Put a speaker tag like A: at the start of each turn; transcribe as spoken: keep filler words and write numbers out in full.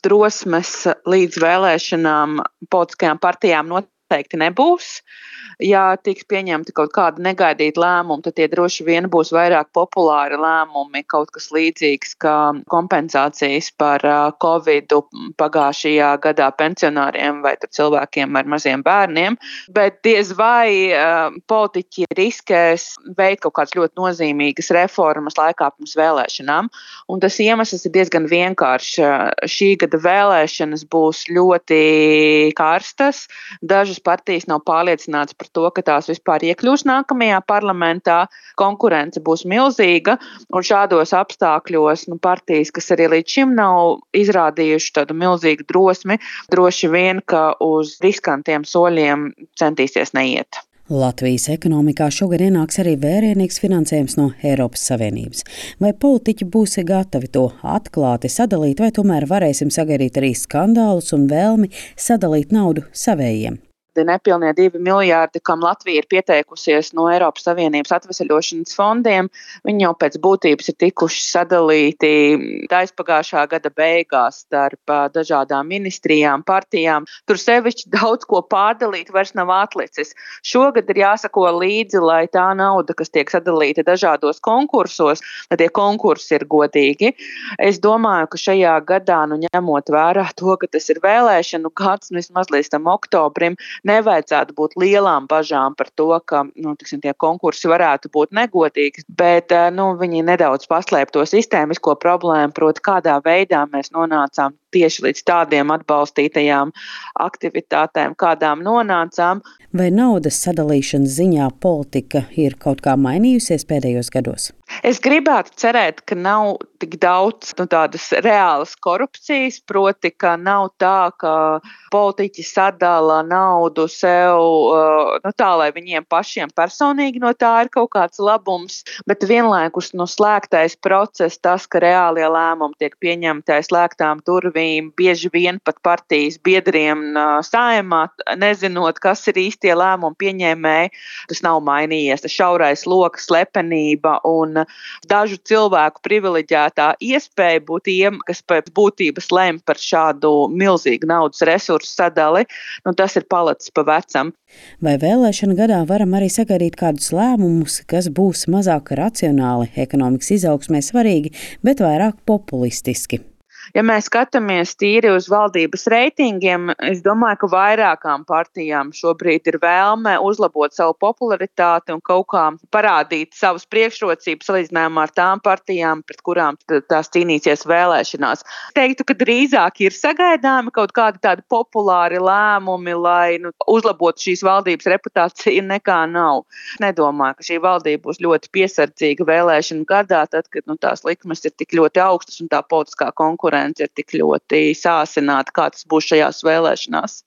A: drosmes līdz vēlēšanām politiskajām partijām noteikti nebūs. Ja tiks pieņemti kaut kādi negaidīti lēmumi, tad tie droši vien būs vairāk populāri lēmumi, kaut kas līdzīgs kā kompensācijas par Covidu pagājušajā gadā pensionāriem vai cilvēkiem ar maziem bērniem. Bet diez vai uh, politiķi riskēs veikt kaut kādas ļoti nozīmīgas reformas laikā pirms vēlēšanām. Un tas iemesls ir diezgan vienkāršs. Šī gada vēlēšanas būs ļoti karstas. Dažas partijas nav pārliecinātas par to, ka tās vispār iekļūs nākamajā parlamentā. Konkurence būs milzīga, un šādos apstākļos nu, partijas, kas arī līdz šim nav izrādījuši tādu milzīgu drosmi, droši vien, ka uz riskantiem soļiem centīsies neiet.
B: Latvijas ekonomikā šogad ienāks arī vērienīgs finansējums no Eiropas Savienības. Vai politiķi būs gatavi to atklāti sadalīt, vai tomēr varēsim sagaidīt arī skandālus un vēlmi sadalīt naudu savējiem?
A: Nepilnie divi miljārdi, kam Latvija ir pieteikusies no Eiropas Savienības atveseļošanas fondiem, viņi jau pēc būtības ir tikuši sadalīti aizpagājušā gada beigās starp dažādām ministrijām, partijām. Tur sevišķi daudz ko pārdalīt vairs nav atlicis. Šogad ir jāsako līdzi, lai tā nauda, kas tiek sadalīta dažādos konkursos, lai tie konkursi ir godīgi. Es domāju, ka šajā gadā, nu ņemot vērā to, ka tas ir vēlēšanu gads, nu vismaz līdz tam oktobrim, nevajadzētu būt lielām bažām par to, ka nu, tiksim, tie konkursi varētu būt negodīgi, bet nu, viņi nedaudz paslēp to sistēmisko problēmu, proti kādā veidā mēs nonācām tieši līdz tādiem atbalstītajām aktivitātēm, kādām nonācām.
B: Vai naudas sadalīšanas ziņā politika ir kaut kā mainījusies pēdējos gados?
A: Es gribētu cerēt, ka nav tik daudz nu, tādas reālas korupcijas, proti, ka nav tā, ka politiķi sadala naudu sev nu, tā, lai viņiem pašiem personīgi no tā ir kaut kāds labums, bet vienlaikus no slēgtais process, tas, ka reālie lēmumi tiek pieņemti aiz slēgtām durvīm, bieži vien pat partijas biedriem Saeimā, nezinot, kas ir īstie lēmumu pieņēmēji, tas nav mainījies. Tas šaurais loks, slepenība un dažu cilvēku privileģētā iespēja būt tiem, kas pēc būtības lem par šādu milzīgu naudas resursu sadali, nu tas ir palicis pa vecam.
B: Vai vēlēšana gadā varam arī sagaidīt kādus lēmumus, kas būs mazāk racionāli, ekonomikas izaugsmē svarīgi, bet vairāk populistiski?
A: Ja mēs skatāmies tīri uz valdības reitingiem, es domāju, ka vairākām partijām šobrīd ir vēlme uzlabot savu popularitāti un kaut kā parādīt savas priekšrocības salīdzinājumā ar tām partijām, pret kurām tās cīnīsies vēlēšanās. Teiktu, ka drīzāk ir sagaidāmi kaut kādi tādi populāri lēmumi, lai nu, uzlabotu šīs valdības reputāciju, nekā nav. Nedomāju, ka šī valdība būs ļoti piesardzīga vēlēšanu gadā, tad, kad nu, tās likmes ir tik ļoti augstas un tā politiskā konkurence ir tik ļoti sāsināta, kā tas būs šajās vēlēšanās.